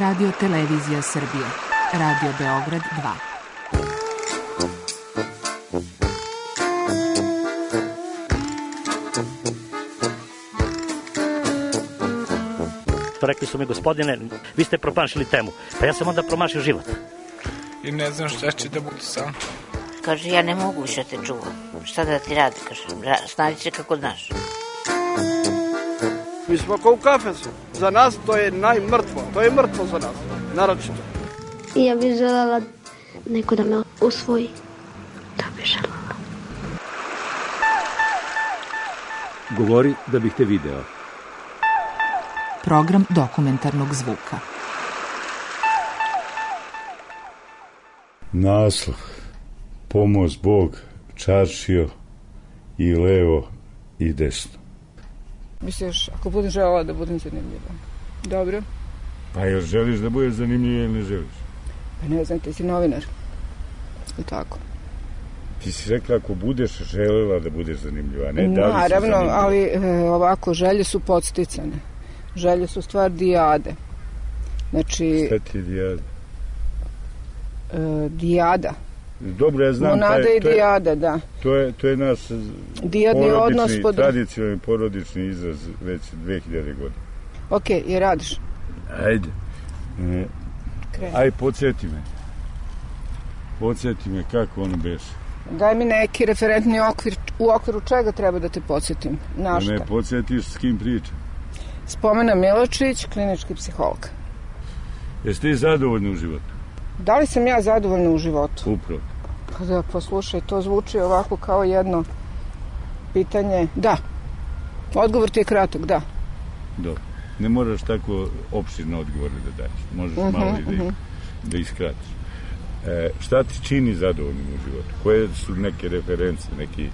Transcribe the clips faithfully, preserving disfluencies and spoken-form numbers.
Radio Televizija Srbije, Radio Beograd dva. Rekli su mi, gospodine, vi ste promašili temu. Pa ja sam onda promašio život. I ne znam šta će da bude sam. Kaže, ja ne mogu više te čuvam. Šta da ti radi, kaže, snađi se kako znaš. Mi smo kao u kafesu. Za nas to je najmrtvo. To je mrtvo za nas, naročito. I ja bih želela neko da me usvoji. To bih želela. Govori da bih te video. Program dokumentarnog zvuka. Naslov. Pomoz Bog, čaršio i levo i desno. Misliš, ako budem želela da budem zanimljiva. Dobro. Pa jel želiš da budeš zanimljiva ili ne želiš? Pa ne znam, ti si novinar. I tako. Ti si rekla ako budeš želela da budeš zanimljiva, ne? Da li naravno, ali e, ovako, želje su podsticane. Želje su stvar dijade. Znači... Šta ti je dijada? E, dijada. Dobro, ja znam... Monada taj, i dijada, da. To je, to je naš dijadni odnos pod... tradicionalni porodični izraz već dve hiljade godina. Ok, i radiš? Ajde. E, aj, podsjeti me. Podsjeti me kako ono beše. Daj mi neki referentni okvir, u okviru čega treba da te podsjetim. Na šta? Da me podsjetiš s kim pričam. Spomena Miločić, klinički psiholog. Jeste ti zadovoljni u životu? Da li sam ja zadovoljna u životu? Upravo. Pa da, poslušaj, to zvuči ovako kao jedno pitanje. Da. Odgovor ti je kratak, da. Dobro. Ne moraš tako opširne odgovore da daješ. Možeš uh-huh, malo i da, uh-huh. da iskratiš. E, šta ti čini zadovoljnim u životu? Koje su neke reference, neki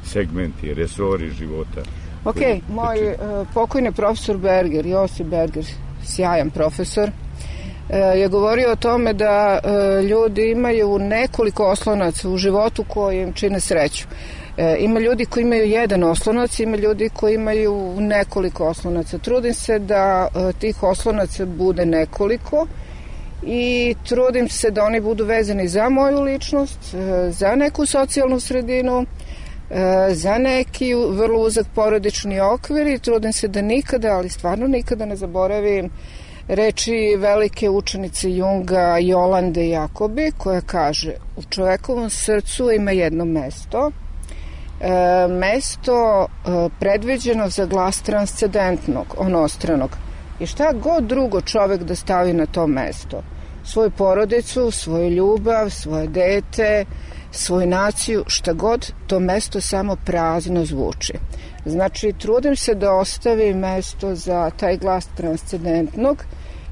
segmenti, resori života? Ok, moj uh, pokojni profesor Berger, Josip Berger, sjajan profesor, uh, je govorio o tome da uh, ljudi imaju nekoliko oslonaca u životu koji im čine sreću. Uh, ima ljudi koji imaju jedan oslonac, ima ljudi koji imaju nekoliko oslonaca. Trudim se da uh, tih oslonaca bude nekoliko i trudim se da oni budu vezani za moju ličnost, uh, za neku socijalnu sredinu, za neki vrlo uzak porodični okvir i trudim se da nikada, ali stvarno nikada ne zaboravim reči velike učenice Junga Jolande Jakobi koja kaže u čovekovom srcu ima jedno mesto, e, mesto e, predviđeno za glas transcendentnog, onostranog. I šta god drugo čovek da stavi na to mesto, svoju porodicu, svoju ljubav, svoje dete, svoju naciju, šta god, to mesto samo prazno zvuči. Znači, trudim se da ostavim mesto za taj glas transcendentnog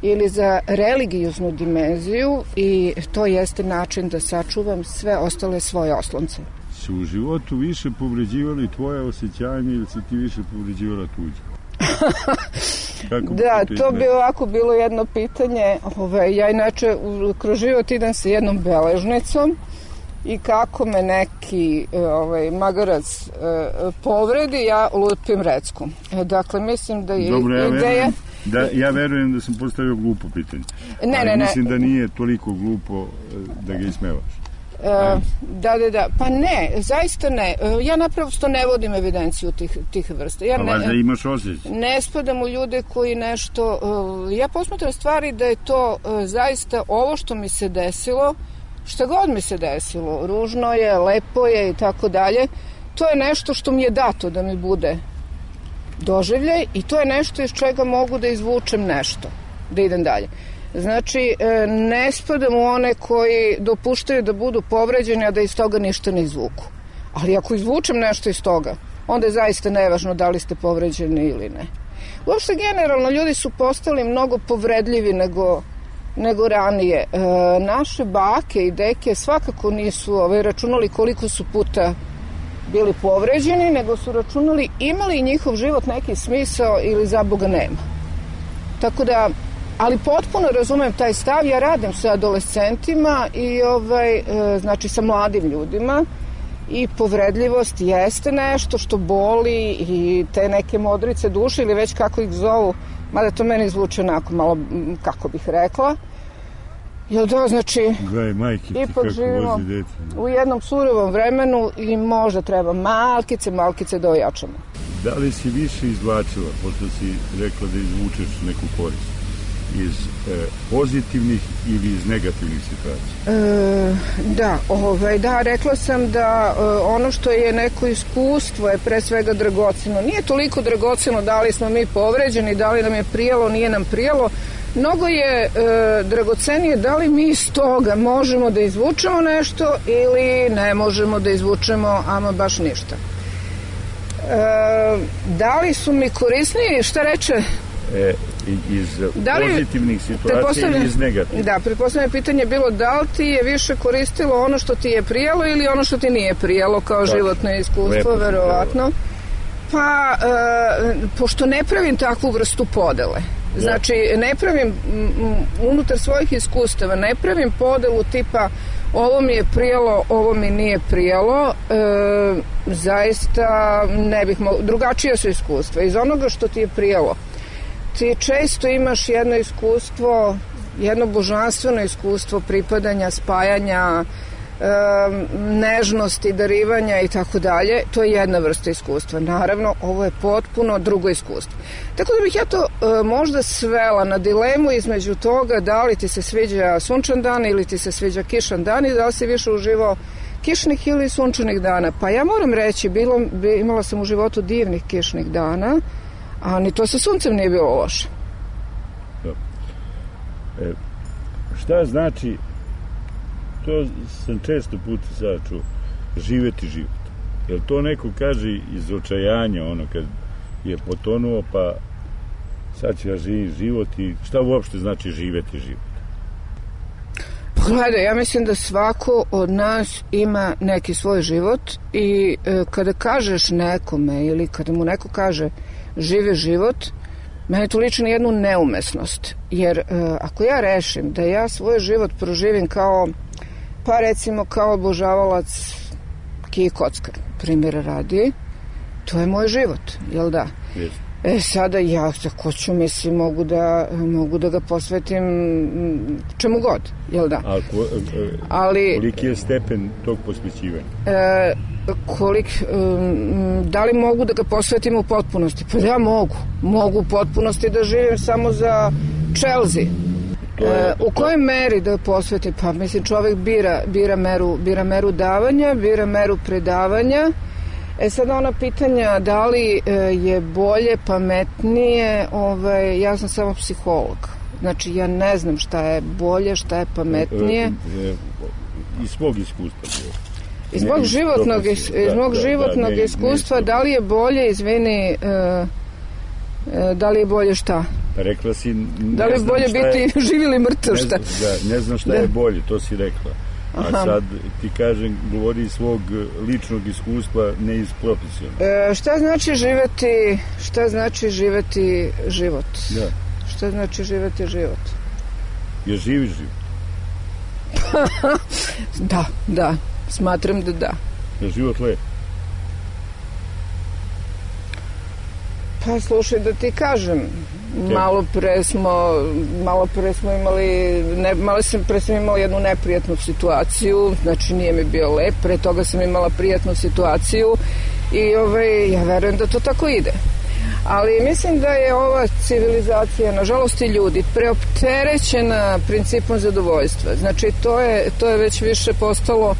ili za religioznu dimenziju i to jeste način da sačuvam sve ostale svoje oslonce. Si u životu više povređivali tvoje osjećanje ili si ti više povređivala tuđe? Da, to bi ovako bilo jedno pitanje. Ove, ja inače kroz život idem sa jednom beležnicom i kako me neki ovaj, magarac eh, povredi, ja lupim recku. Dakle, mislim da je Dobro, ja ideja... Verujem, da, ja verujem da sam postavio glupo pitanje. Ne, ali ne, ne. Mislim da nije toliko glupo da ga ismevaš. E, da, da, da. Pa ne, zaista ne. Ja naprosto ne vodim evidenciju tih, tih vrsta. Ja pa ne, valjda imaš osjećaj. Ne spadam u ljude koji nešto... Ja posmatram stvari da je to zaista ovo što mi se desilo, šta god mi se desilo, ružno je, lepo je i tako dalje, to je nešto što mi je dato da mi bude doživljaj i to je nešto iz čega mogu da izvučem nešto, da idem dalje. Znači, ne spadam u one koji dopuštaju da budu povređeni, a da iz toga ništa ne izvuku. Ali ako izvučem nešto iz toga, onda je zaista nevažno da li ste povređeni ili ne. Uopšte generalno ljudi su postali mnogo povredljivi nego, nego ranije. E, naše bake i deke svakako nisu ovaj, računali koliko su puta bili povređeni, nego su računali imali njihov život neki smisao ili za Boga nema. Tako da, ali potpuno razumem taj stav, ja radim sa adolescentima i ovaj, e, znači sa mladim ljudima i povredljivost jeste nešto što boli i te neke modrice duše ili već kako ih zovu Mada to meni zvuči onako malo, kako bih rekla. Jel da, znači, Gledaj, majke ti ipak kako živimo vozi dete. u jednom surovom vremenu i možda treba malkice, malkice da ojačamo. Da li si više izvlačila, pošto si rekla da izvučeš neku korist, iz e, pozitivnih ili iz negativnih situacija? E, da, ovaj, da, rekla sam da e, ono što je neko iskustvo je pre svega dragoceno. Nije toliko dragoceno da li smo mi povređeni, da li nam je prijelo, nije nam prijelo. Mnogo je e, dragocenije da li mi iz toga možemo da izvučemo nešto ili ne možemo da izvučemo ama baš ništa. E, da li su mi korisniji, šta reče? E, iz da li, pozitivnih situacija ili iz negativnih? Da, pretpostavljeno pitanje je bilo da li ti je više koristilo ono što ti je prijelo ili ono što ti nije prijelo kao da, životno iskustvo, verovatno. Pa, e, pošto ne pravim takvu vrstu podele, da. Znači ne pravim m, unutar svojih iskustava, ne pravim podelu tipa ovo mi je prijelo, ovo mi nije prijelo, e, zaista ne bih mogla, drugačije su iskustva. Iz onoga što ti je prijelo, ti često imaš jedno iskustvo, jedno božanstveno iskustvo pripadanja, spajanja, e, nežnosti, darivanja i tako dalje. To je jedna vrsta iskustva. Naravno, ovo je potpuno drugo iskustvo. Tako da bih ja to e, možda svela na dilemu između toga da li ti se sviđa sunčan dan ili ti se sviđa kišan dan i da li si više uživao kišnih ili sunčanih dana. Pa ja moram reći, bilo, imala sam u životu divnih kišnih dana, a ni to sa suncem nije bilo loše. E, šta znači, to sam često puta sada čuo, živeti život. Jer to neko kaže iz očajanja, ono kad je potonuo, pa sad ću ja živim život i šta uopšte znači živeti život? Gledaj, ja mislim da svako od nas ima neki svoj život i e, kada kažeš nekome ili kada mu neko kaže žive život, meni to liči na jednu neumesnost. Jer e, ako ja rešim da ja svoj život proživim kao, pa recimo kao obožavalac kije kockar, primjera radi, to je moj život, jel da? Yes. E sada ja tako ću, mislim, mogu da, mogu da ga posvetim čemu god, jel da? A ko, e, Ali, koliki je stepen tog posvećivanja? E, kolik, um, da li mogu da ga posvetim u potpunosti? Pa da, mogu. Mogu u potpunosti da živim samo za Chelsea. E, u kojoj meri da posvetim? Pa mislim, čovjek bira, bira, meru, bira meru davanja, bira meru predavanja. E sad ona pitanja da li e, je bolje, pametnije, ovaj, ja sam samo psiholog. Znači ja ne znam šta je bolje, šta je pametnije. E, e, iz svog iskustva. Iz mog životnog, iz, iz mog da, životnog da, ne, iskustva, ne, da li je bolje, izvini, e, e, da li je bolje šta? Rekla si... Da li je bolje biti je, živ ili mrtav, šta? Ne, da, ne znam šta da. je bolje, to si rekla. A Aha. sad ti kažem, govori iz svog ličnog iskustva, ne iz profesionalnog. E, šta znači živeti, šta znači živeti život? Da. Šta znači živeti život? Je živiš život? Da, da. Smatram da da. Je život lep? Pa slušaj, da ti kažem, malo pre smo, malo pre smo imali, ne, malo sam pre sam imala jednu neprijatnu situaciju, znači nije mi bio lep, pre toga sam imala prijatnu situaciju i ovaj, ja verujem da to tako ide. Ali mislim da je ova civilizacija, nažalost i ljudi, preopterećena principom zadovoljstva. Znači to je, to je već više postalo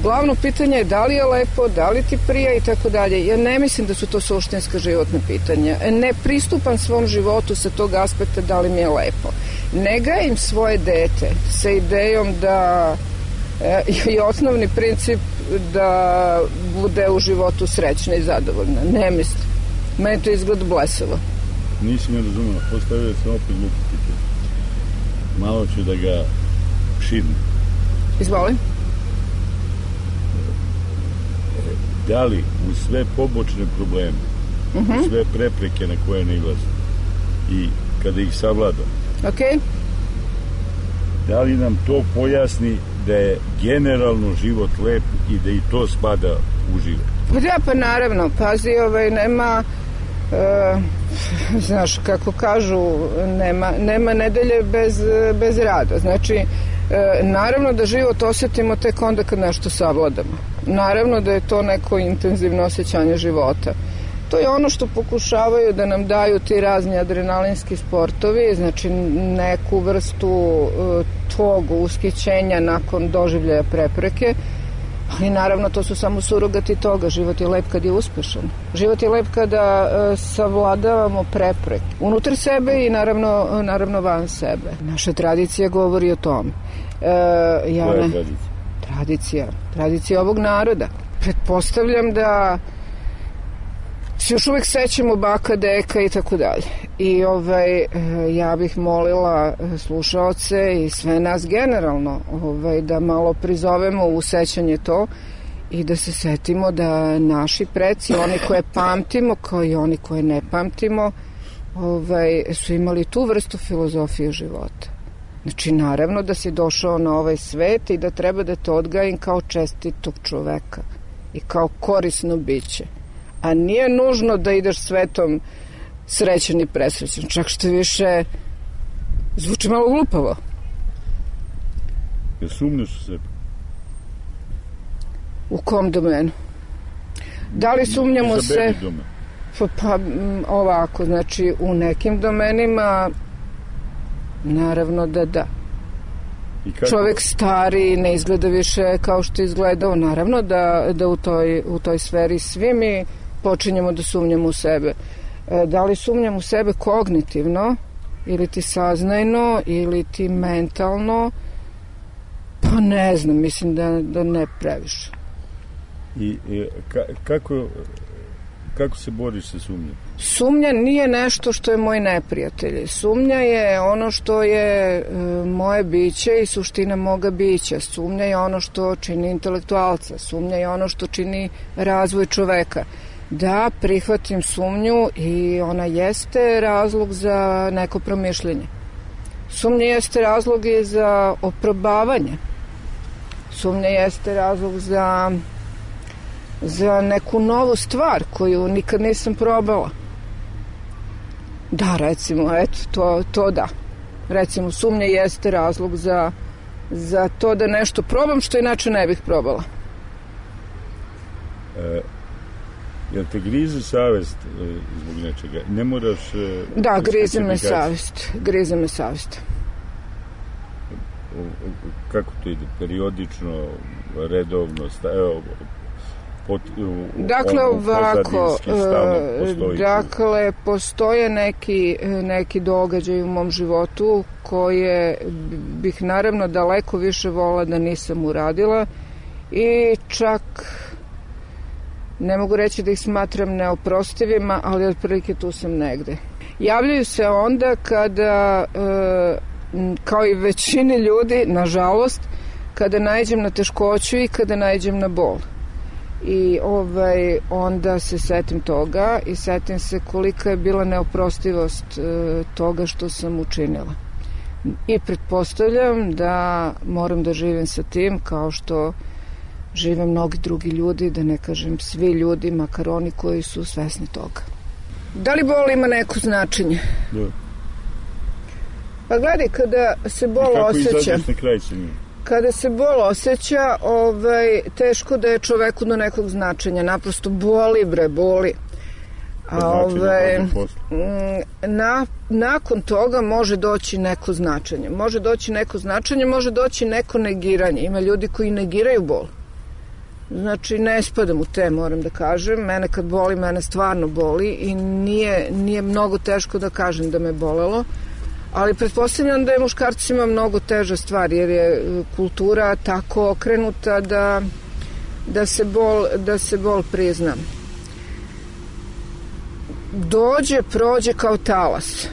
glavno pitanje je da li je lepo, da li ti prija i tako dalje. Ja ne mislim da su to suštinska životna pitanja. Ne pristupam svom životu sa tog aspekta da li mi je lepo. Ne gajim svoje dete sa idejom da je osnovni princip da bude u životu srećna i zadovoljna. Ne mislim. Meni to izgleda blesavo. Nisi me razumela. Postavio sam opet glupo pitanje. Malo ću da ga širnem. Izvolim. Da li u sve pobočne probleme, uh-huh. u sve prepreke na koje ne ilazi i kada ih savlada, okay. da li nam to pojasni da je generalno život lep i da i to spada u život? Pa da, pa naravno, pazi, ovaj, nema, E, znaš, kako kažu, nema, nema nedelje bez, bez rada. Znači, e, naravno da život osjetimo tek onda kad nešto savladamo. Naravno da je to neko intenzivno osjećanje života. To je ono što pokušavaju da nam daju ti razni adrenalinski sportovi, znači neku vrstu e, tog ushićenja nakon doživljaja prepreke, ali naravno to su samo surogati toga. Život je lep kad je uspešan. Život je lep kada e, savladavamo prepreke unutar sebe i naravno, naravno van sebe. Naša tradicija govori o tome. E, ja Koja je ne, tradicija? Tradicija. Tradicija ovog naroda. Pretpostavljam da se još uvek sećamo baka, deka i tako dalje. I ovaj, ja bih molila slušaoce i sve nas generalno ovaj, da malo prizovemo u sećanje to i da se setimo da naši preci, oni koje pamtimo kao i oni koje ne pamtimo, ovaj, su imali tu vrstu filozofije života. Znači, naravno da si došao na ovaj svet i da treba da te odgajim kao čestitog čoveka i kao korisno biće. A nije nužno da ideš svetom srećan i presrećan. Čak što više zvuči malo glupavo. Jer sumnjaš u sebe? U kom domenu? Da li sumnjam u se? Pa, pa ovako, znači u nekim domenima naravno da da. Čovek stari ne izgleda više kao što je izgledao. Naravno da, da u, toj, u toj sferi svi mi počinjemo da sumnjamo u sebe. E, da li sumnjam u sebe kognitivno ili ti saznajno ili ti mentalno? Pa ne znam, mislim da, da ne previše. I e, ka, kako, kako se boriš sa sumnjom? Sumnja nije nešto što je moj neprijatelj. Sumnja je ono što je e, moje biće i suština moga bića. Sumnja je ono što čini intelektualca. Sumnja je ono što čini razvoj čoveka. Da, prihvatim sumnju i ona jeste razlog za neko promišljenje. Sumnja jeste razlog i za oprobavanje. Sumnja jeste razlog za, za neku novu stvar koju nikad nisam probala. Da, recimo, eto, to, to da. Recimo, sumnja jeste razlog za, za to da nešto probam što inače ne bih probala. E, jel te grize savest e, zbog nečega? Ne moraš... E, da, grize me savest. Grize me savest. Kako to ide? Periodično, redovno, evo, pot, u, dakle, on, ovako, postoji dakle, postoje neki, neki događaj u mom životu koje bih naravno daleko više vola da nisam uradila i čak ne mogu reći da ih smatram neoprostivima, ali otprilike tu sam negde. Javljaju se onda kada, kao i većini ljudi, nažalost, kada naiđem na teškoću i kada naiđem na bol. I ovaj, onda se setim toga i setim se kolika je bila neoprostivost e, toga što sam učinila. I pretpostavljam da moram da živim sa tim kao što žive mnogi drugi ljudi, da ne kažem svi ljudi, makar oni koji su svesni toga. Da li bol ima neko značenje? Da. Pa gledaj, kada se bol osjeća... I kako izađeš na kraj sa njim? Kada se bol osjeća, ovaj, teško da je čoveku do nekog značenja. Naprosto boli, bre, boli. A ovaj, na, nakon toga može doći neko značenje. Može doći neko značenje, može doći neko negiranje. Ima ljudi koji negiraju bol. Znači, ne spadam u te, moram da kažem. Mene kad boli, mene stvarno boli i nije, nije mnogo teško da kažem da me bolelo. Ali pretpostavljam da je muškarcima mnogo teža stvar, jer je kultura tako okrenuta da, da, se, bol, da se bol prizna. Dođe, prođe kao talas.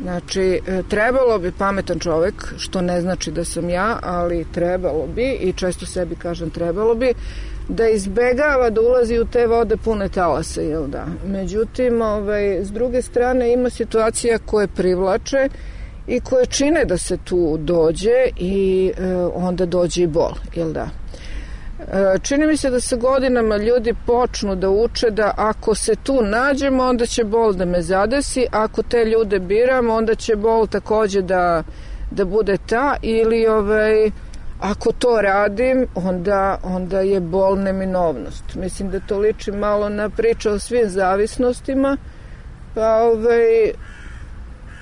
Znači, trebalo bi pametan čovek, što ne znači da sam ja, ali trebalo bi, i često sebi kažem trebalo bi, da izbegava da ulazi u te vode pune talasa, jel da? Međutim, ovaj, s druge strane ima situacija koje privlače i koje čine da se tu dođe i e, onda dođe i bol, jel da? Čini mi se da sa godinama ljudi počnu da uče da ako se tu nađemo, onda će bol da me zadesi, ako te ljude biram, onda će bol takođe da, da bude ta, ili ovaj, ako to radim, onda, onda je bol neminovnost. Mislim da to liči malo na priču o svim zavisnostima, pa ovaj,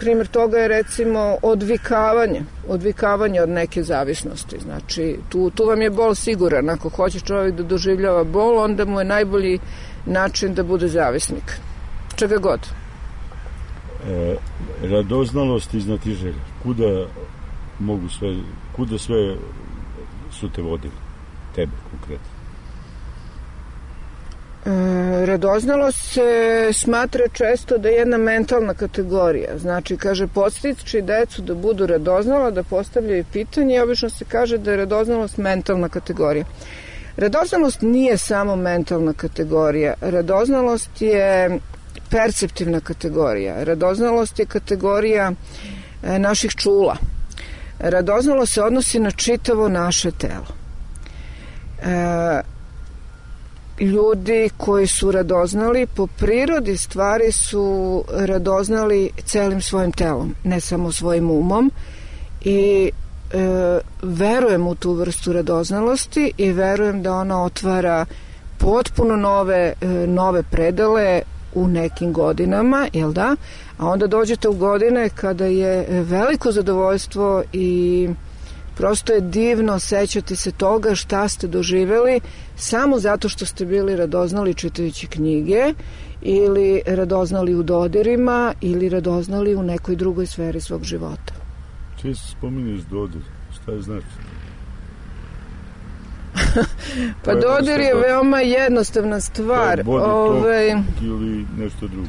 primjer toga je recimo odvikavanje, odvikavanje od neke zavisnosti. Znači, tu, tu vam je bol siguran. Ako hoće čovjek da doživljava bol, onda mu je najbolji način da bude zavisnik. Čega god. E, radoznalost i znatiželja. Kuda mogu sve, kuda sve su te vodili? Tebe konkretno. E, radoznalost se smatra često da je jedna mentalna kategorija. Znači, kaže, podstiči decu da budu radoznala, da postavljaju pitanje i obično se kaže da je radoznalost mentalna kategorija. Radoznalost nije samo mentalna kategorija. Radoznalost je perceptivna kategorija. Radoznalost je kategorija e, naših čula. Radoznalost se odnosi na čitavo naše telo. E, ljudi koji su radoznali po prirodi stvari su radoznali celim svojim telom, ne samo svojim umom, i e, verujem u tu vrstu radoznalosti i verujem da ona otvara potpuno nove, e, nove predele u nekim godinama, jel da? A onda dođete u godine kada je veliko zadovoljstvo i prosto je divno sećati se toga šta ste doživeli samo zato što ste bili radoznali čitajući knjige ili radoznali u dodirima ili radoznali u nekoj drugoj sferi svog života. Često spominješ dodir, šta je znači? Pa dodir je veoma jednostavna stvar. Ove... ili nešto drugo?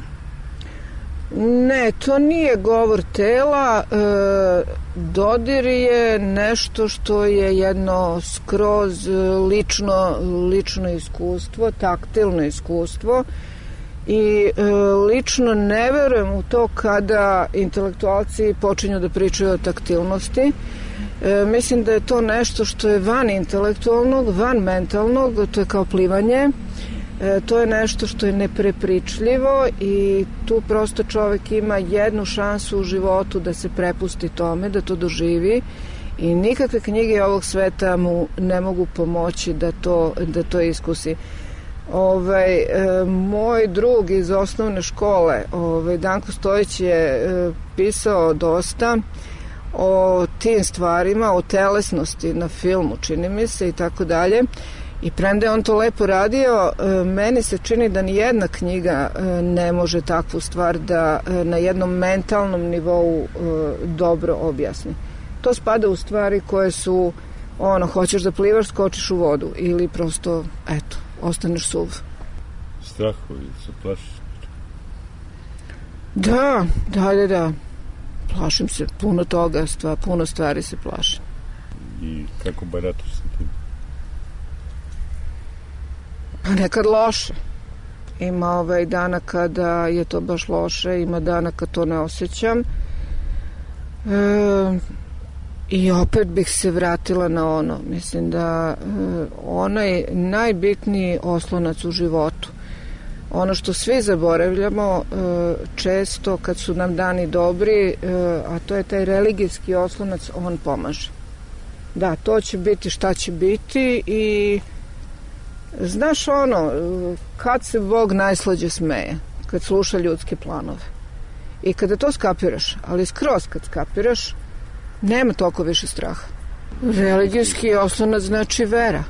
Ne, to nije govor tela. E, dodir je nešto što je jedno skroz lično, lično iskustvo, taktilno iskustvo, i e, lično ne verujem u to kada intelektualci počinju da pričaju o taktilnosti. E, mislim da je to nešto što je van intelektualnog, van mentalnog, to je kao plivanje. E, to je nešto što je neprepričljivo i tu prosto čovek ima jednu šansu u životu da se prepusti tome, da to doživi, i nikakve knjige ovog sveta mu ne mogu pomoći da to, da to iskusi. Ovaj, e, moj drug iz osnovne škole, ovaj, Danko Stojić, je e, pisao dosta o tim stvarima, o telesnosti na filmu, čini mi se, i tako dalje. I premda je on to lepo radio, meni se čini da ni jedna knjiga ne može takvu stvar da na jednom mentalnom nivou dobro objasni. To spada u stvari koje su, ono, hoćeš da plivaš, skočiš u vodu, ili prosto, eto, ostaneš suv. Strahovi, se plašiš? Da, da, da, da. Plašim se, puno toga, stvar, puno stvari se plašim. I kako barataš sa tim? Pa nekad loše. Ima ovaj dana kada je to baš loše, ima dana kad to ne osjećam. E, I opet bih se vratila na ono. Mislim da e, onaj najbitniji oslonac u životu, ono što svi zaboravljamo e, često kad su nam dani dobri, e, a to je taj religijski oslonac, on pomaže. Da, to će biti šta će biti. I znaš ono, kad se Bog najslađe smeje, kad sluša ljudske planove. I kada to skapiraš, ali skroz kad skapiraš, nema toliko više straha. Religijski oslonac znači vera.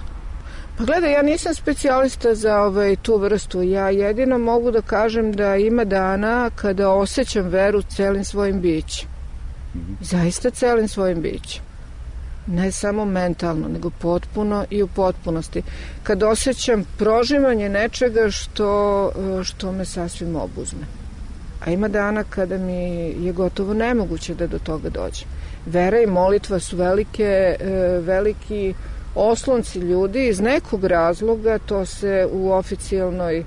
Pa gledaj, ja nisam specijalista za ovaj, tu vrstu. Ja jedino mogu da kažem da ima dana kada osjećam veru celim svojim bićem. Zaista celim svojim bićem. Ne samo mentalno, nego potpuno i u potpunosti. Kad osjećam prožimanje nečega što, što me sasvim obuzme. A ima dana kada mi je gotovo nemoguće da do toga dođe. Vera i molitva su velike, veliki oslonci ljudi. Iz nekog razloga to se u oficijalnoj,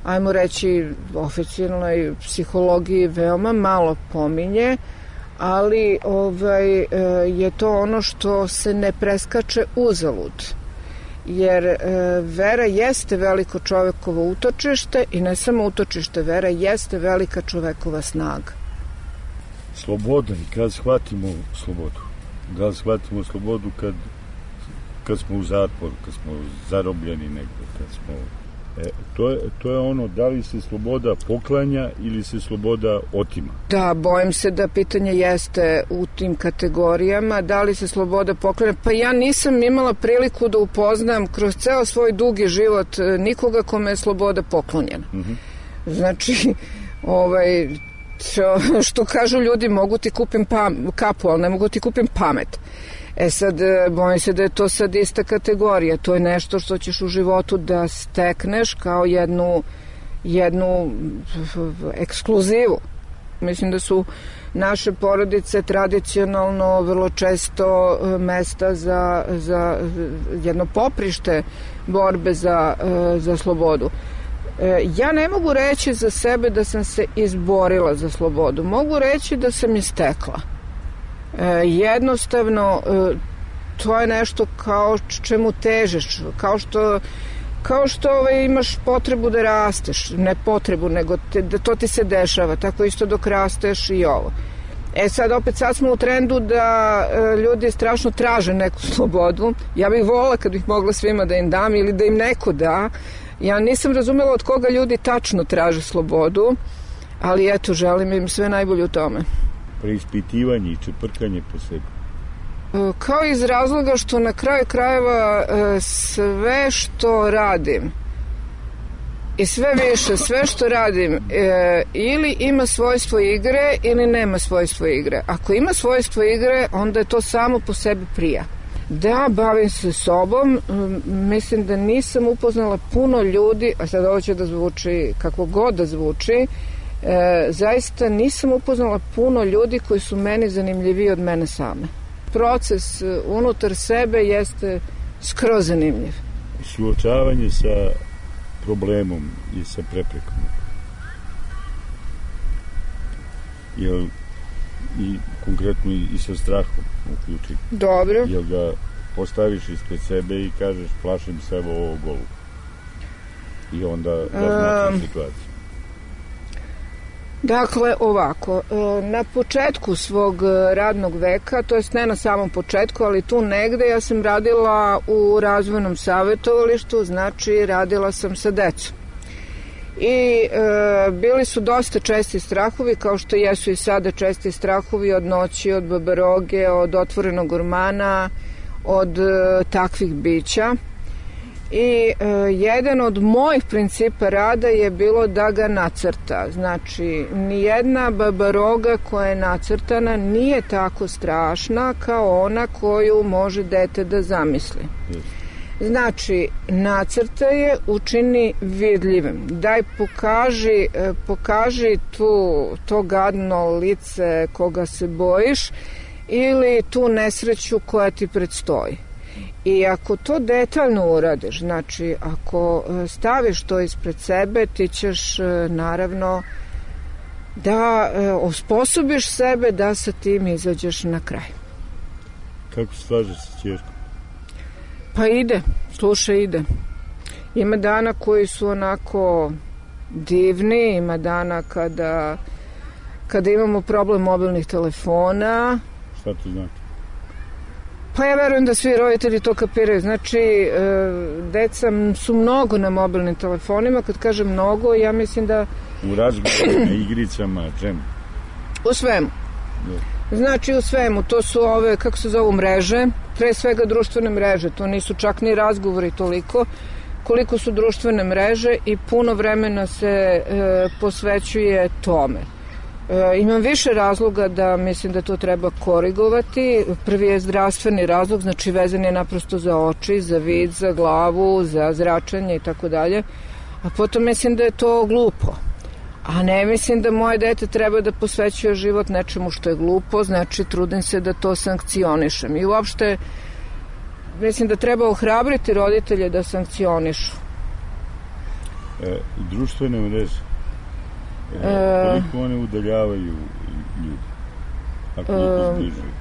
ajmo reći, oficijalnoj psihologiji veoma malo pominje, ali ovaj, je to ono što se ne preskače uzalud. jer e, vera jeste veliko čovekovo utočište i ne samo utočište, vera jeste velika čovekova snaga. Sloboda, i kad shvatimo slobodu? Da li shvatimo slobodu kad, kad smo u zatvoru, kad smo zarobljeni negdje, kad smo... E, to, je, to je ono, da li se sloboda poklanja ili se sloboda otima? Da, bojim se da pitanje jeste u tim kategorijama, da li se sloboda poklanja. Pa ja nisam imala priliku da upoznam kroz ceo svoj dugi život nikoga kome je sloboda poklonjena. Mm-hmm. Znači, ovaj, što, što kažu ljudi, mogu ti kupim pam, kapu, ali ne mogu ti kupim pamet. E sad, bojim se da je to sad ista kategorija. To je nešto što ćeš u životu da stekneš kao jednu, jednu ekskluzivu. Mislim da su naše porodice tradicionalno vrlo često mesta za, za jedno poprište borbe za, za slobodu. Ja ne mogu reći za sebe da sam se izborila za slobodu. Mogu reći da sam je stekla. Jednostavno, to je nešto kao čemu težeš, kao što kao što ovaj, imaš potrebu da rasteš, ne potrebu, nego te, da to ti se dešava, tako isto dok rasteš i ovo. E sad, opet sad smo u trendu da e, ljudi strašno traže neku slobodu. Ja bih volila kad bih mogla svima da im dam ili da im neko da. Ja nisam razumela od koga ljudi tačno traže slobodu, ali eto, želim im sve najbolje u tome. Preispitivanje i čeprkanje po sebi. Kao iz razloga što na kraju krajeva sve što radim i sve više, sve što radim ili ima svojstvo igre ili nema svojstvo igre. Ako ima svojstvo igre, onda je to samo po sebi prija. Da, bavim se sobom, mislim da nisam upoznala puno ljudi, a sad ovo će da zvuči kako god da zvuči, E, zaista nisam upoznala puno ljudi koji su meni zanimljiviji od mene same. Proces unutar sebe jeste skroz zanimljiv. Suočavanje sa problemom i sa preprekom. Jel, i konkretno i, i sa strahom uključi. Dobro. Jel ga postaviš ispred sebe i kažeš plašim se evo ovo golu. I onda razmatraš um, situaciju. Dakle, ovako, na početku svog radnog veka, to jest ne na samom početku, ali tu negde, ja sam radila u razvojnom savjetovalištu, znači radila sam sa decom. I e, bili su dosta česti strahovi, kao što jesu i sada česti strahovi od noći, od babaroge, od otvorenog ormana, od e, takvih bića. I e, jedan od mojih principa rada je bilo da ga nacrta. Znači, nijedna babaroga koja je nacrtana nije tako strašna kao ona koju može dete da zamisli. Znači, nacrta je, učini vidljivim. Daj, pokaži, pokaži tu, to gadno lice koga se bojiš ili tu nesreću koja ti predstoji. I ako to detaljno uradiš, znači ako staviš to ispred sebe, ti ćeš naravno da osposobiš sebe da sa tim izađeš na kraj. Kako se slažeš sa ćerkom? Pa ide, slušaj, ide. Ima dana koji su onako divni, ima dana kada, kada imamo problem mobilnih telefona. Šta to znači? Pa ja verujem da svi roditelji to kapiraju. Znači, e, deca su mnogo na mobilnim telefonima. Kad kažem mnogo, ja mislim da... U razgovorima, igricama, čemu? U svemu. Znači, u svemu. To su ove, kako se zovu, mreže. Pre svega društvene mreže. To nisu čak ni razgovori toliko. Koliko su društvene mreže i puno vremena se e, posvećuje tome. E, imam više razloga da mislim da to treba korigovati. Prvi je zdravstveni razlog, znači vezan je naprosto za oči, za vid, za glavu, za zračenje i tako dalje. A potom mislim da je to glupo. A ne mislim da moje dete treba da posvećuje život nečemu što je glupo, znači trudim se da to sankcionišem. I uopšte mislim da treba ohrabriti roditelje da sankcionišu. E, društvene mreže, e, koliko one udaljavaju ljudi, a koliko zbližuju?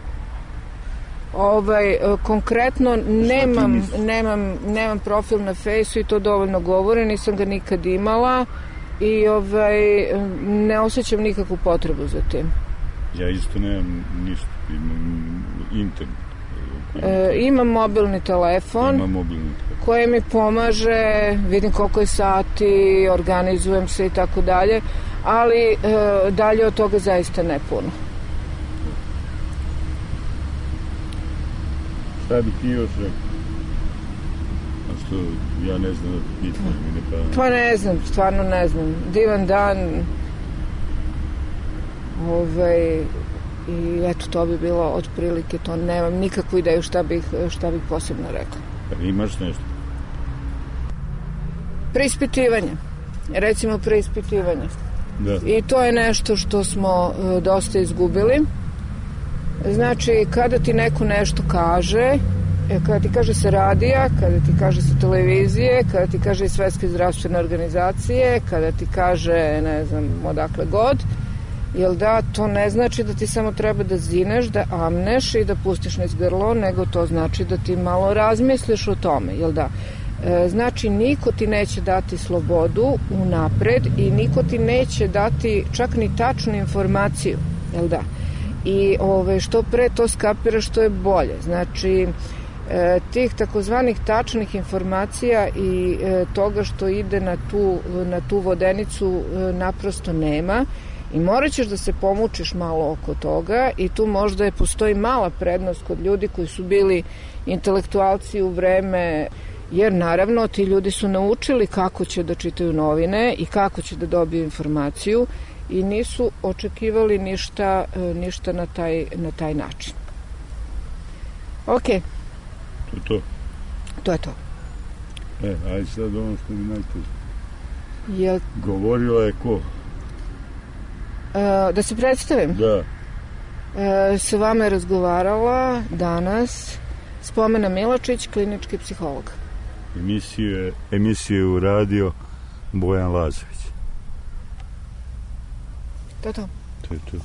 Ovaj, konkretno nemam, nemam, nemam profil na Fejsu i to dovoljno govore, nisam ga nikad imala i ovaj, ne osjećam nikakvu potrebu za tim. Ja isto nemam ništa, imam internet. E, imam mobilni telefon, imam mobilni telefon koji mi pomaže, vidim koliko je sati, organizujem se i tako dalje, ali e, dalje od toga zaista ne puno. Šta bi ti još rekao? A što ja ne znam da pitam, mi ne pravim. Pa ne znam, stvarno ne znam. Divan dan. Ovaj, i eto, to bi bilo otprilike to. Nemam nikakvu ideju šta bih, šta bih posebno rekla. Pa imaš nešto? Preispitivanje. Recimo preispitivanje. Da. I to je nešto što smo uh, dosta izgubili. Znači, kada ti neko nešto kaže, kada ti kaže sa radija, kada ti kaže sa televizije, kada ti kaže iz Svetske zdravstvene organizacije, kada ti kaže, ne znam, odakle god, jel da, to ne znači da ti samo treba da zineš, da amneš i da pustiš niz grlo, nego to znači da ti malo razmisliš o tome, jel da. E, znači, niko ti neće dati slobodu unapred i niko ti neće dati čak ni tačnu informaciju, jel da. I ove, što pre to skapira, što je bolje. Znači, e, tih takozvanih tačnih informacija i e, toga što ide na tu, na tu vodenicu e, naprosto nema i morat ćeš da se pomučiš malo oko toga i tu možda je postoji mala prednost kod ljudi koji su bili intelektualci u vreme, jer naravno ti ljudi su naučili kako će da čitaju novine i kako će da dobiju informaciju i nisu očekivali ništa, ništa na taj, na taj način. Ok. To je to? To je to. E, aj sad ono što mi najteže. Je... Govorila je ko? E, da se predstavim? Da. E, sa vama je razgovarala danas Spomena Milačić, klinički psiholog. Emisije, emisije u radio Bojan Lazović. To je to. To je to.